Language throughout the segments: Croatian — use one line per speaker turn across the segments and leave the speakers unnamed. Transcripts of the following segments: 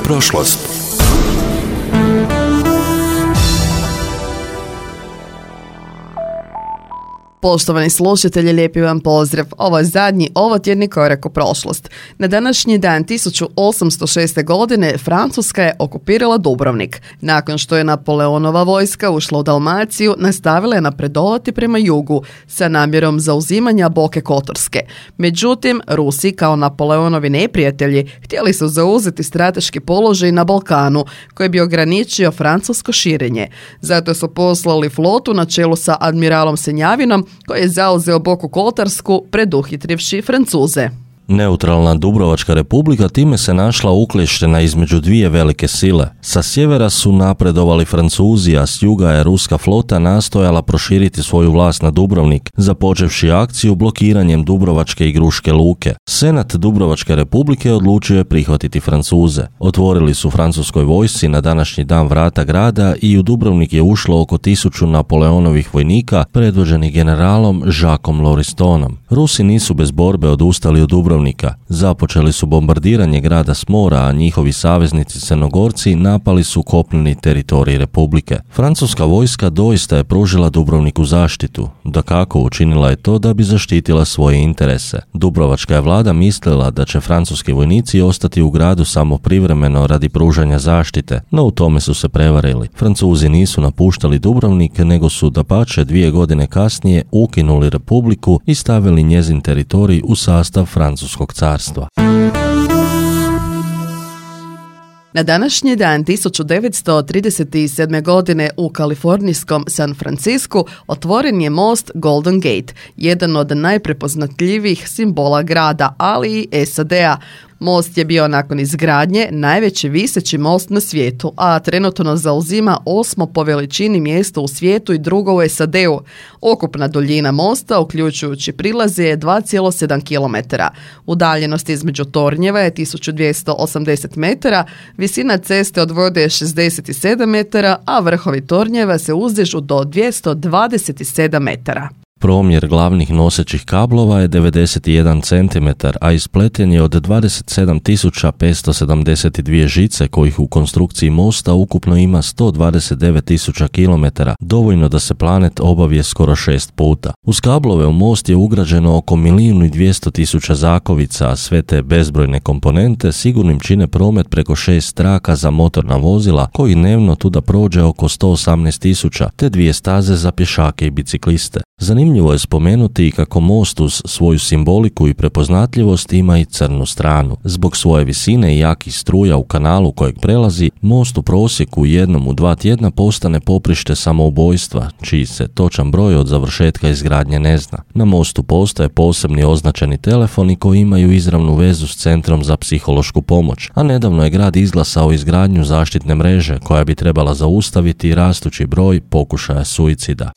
prošlost.
Poštovani slušatelji, lijepi vam pozdrav. Ovo je zadnji ovotjedni korak u prošlost. Na današnji dan 1806. godine Francuska je okupirala Dubrovnik. Nakon što je Napoleonova vojska ušla u Dalmaciju, nastavila je napredovati prema jugu sa namjerom zauzimanja Boke Kotorske. Međutim, Rusi kao Napoleonovi neprijatelji htjeli su zauzeti strateški položaj na Balkanu koji bi ograničio francusko širenje. Zato su poslali flotu na čelu sa admiralom Senjavinom koji je zauzeo Boku Kotarsku preduhitrivši Francuze.
Neutralna Dubrovačka republika time se našla uklještena između dvije velike sile. Sa sjevera su napredovali Francuzi, a s juga je ruska flota nastojala proširiti svoju vlast na Dubrovnik, započevši akciju blokiranjem Dubrovačke i Gruške luke. Senat Dubrovačke republike odlučio je prihvatiti Francuze. Otvorili su francuskoj vojsci na današnji dan vrata grada i u Dubrovnik je ušlo oko 1000 Napoleonovih vojnika predvođenih generalom Jacquesom Lauristonom. Rusi nisu bez borbe odustali od Dubrovnika. Započeli su bombardiranje grada s mora, a njihovi saveznici Crnogorci napali su kopneni teritorij republike. Francuska vojska doista je pružila Dubrovniku zaštitu. Dakako, učinila je to da bi zaštitila svoje interese. Dubrovačka je vlada mislila da će francuski vojnici ostati u gradu samo privremeno radi pružanja zaštite, no u tome su se prevarili. Francuzi nisu napuštali Dubrovnik, nego su dapače 2 godine kasnije ukinuli republiku i stavili njezin teritorij u sastav Francuskog carstva.
Na današnji dan 1937. godine u kalifornijskom San Francisku otvoren je most Golden Gate, jedan od najprepoznatljivijih simbola grada, ali i SAD-a. Most je bio nakon izgradnje najveći viseći most na svijetu, a trenutno zauzima 8. po veličini mjesto u svijetu i drugo u SAD-u. Ukupna duljina mosta, uključujući prilaze, je 2,7 km. Udaljenost između tornjeva je 1280 metara, visina ceste od vode je 67 metara, a vrhovi tornjeva se uzdižu do 227 metara.
Promjer glavnih nosećih kablova je 91 cm, a ispleten je od 27.572 žice kojih u konstrukciji mosta ukupno ima 129.000 km, dovoljno da se planet obavije skoro 6 puta. Uz kablove u most je ugrađeno oko 1.200.000 zakovica, a sve te bezbrojne komponente sigurnim čine promet preko 6 traka za motorna vozila koji dnevno tuda prođe oko 118.000, te 2 staze za pješake i bicikliste. Zanimljivo je spomenuti i kako most uz svoju simboliku i prepoznatljivost ima i crnu stranu. Zbog svoje visine i jakih struja u kanalu kojeg prelazi, most u prosjeku jednom u 2 tjedna postane poprište samoubojstva, čiji se točan broj od završetka izgradnje ne zna. Na mostu postoje posebni označeni telefoni koji imaju izravnu vezu s Centrom za psihološku pomoć, a nedavno je grad izglasao izgradnju zaštitne mreže koja bi trebala zaustaviti rastući broj pokušaja suicida.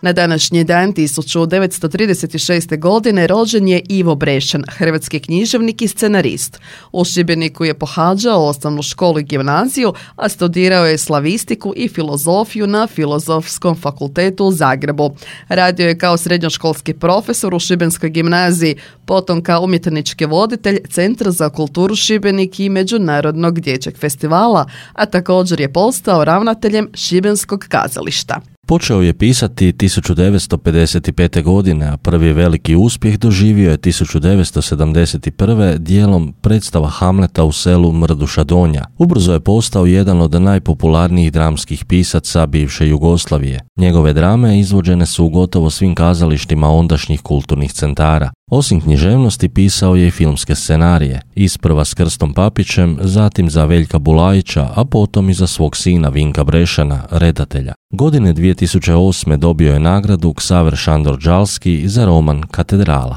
Na današnji dan 1936. godine rođen je Ivo Brešan, hrvatski književnik i scenarist. U Šibeniku je pohađao osnovnu školu i gimnaziju, a studirao je slavistiku i filozofiju na Filozofskom fakultetu u Zagrebu. Radio je kao srednjoškolski profesor u Šibenskoj gimnaziji, potom kao umjetnički voditelj Centra za kulturu Šibenik i Međunarodnog dječjeg festivala, a također je postao ravnateljem Šibenskog kazališta.
Počeo je pisati 1955. godine, a prvi veliki uspjeh doživio je 1971. dijelom predstava Hamleta u selu Mrduša Donja. Ubrzo je postao jedan od najpopularnijih dramskih pisaca bivše Jugoslavije. Njegove drame izvođene su u gotovo svim kazalištima ondašnjih kulturnih centara. Osim književnosti pisao je i filmske scenarije, isprva s Krstom Papićem, zatim za Veljka Bulajića, a potom i za svog sina Vinka Brešana, redatelja. Godine 2008. dobio je nagradu Ksaver Šandor Đalski za roman Katedrala.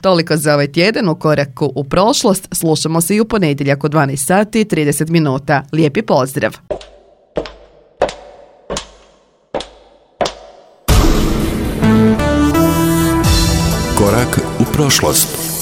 Toliko za ovaj tjedan u koraku u prošlost. Slušamo se i u ponedjeljak u 12 sati i 30 minuta. Lijepi pozdrav!
Korak u prošlost.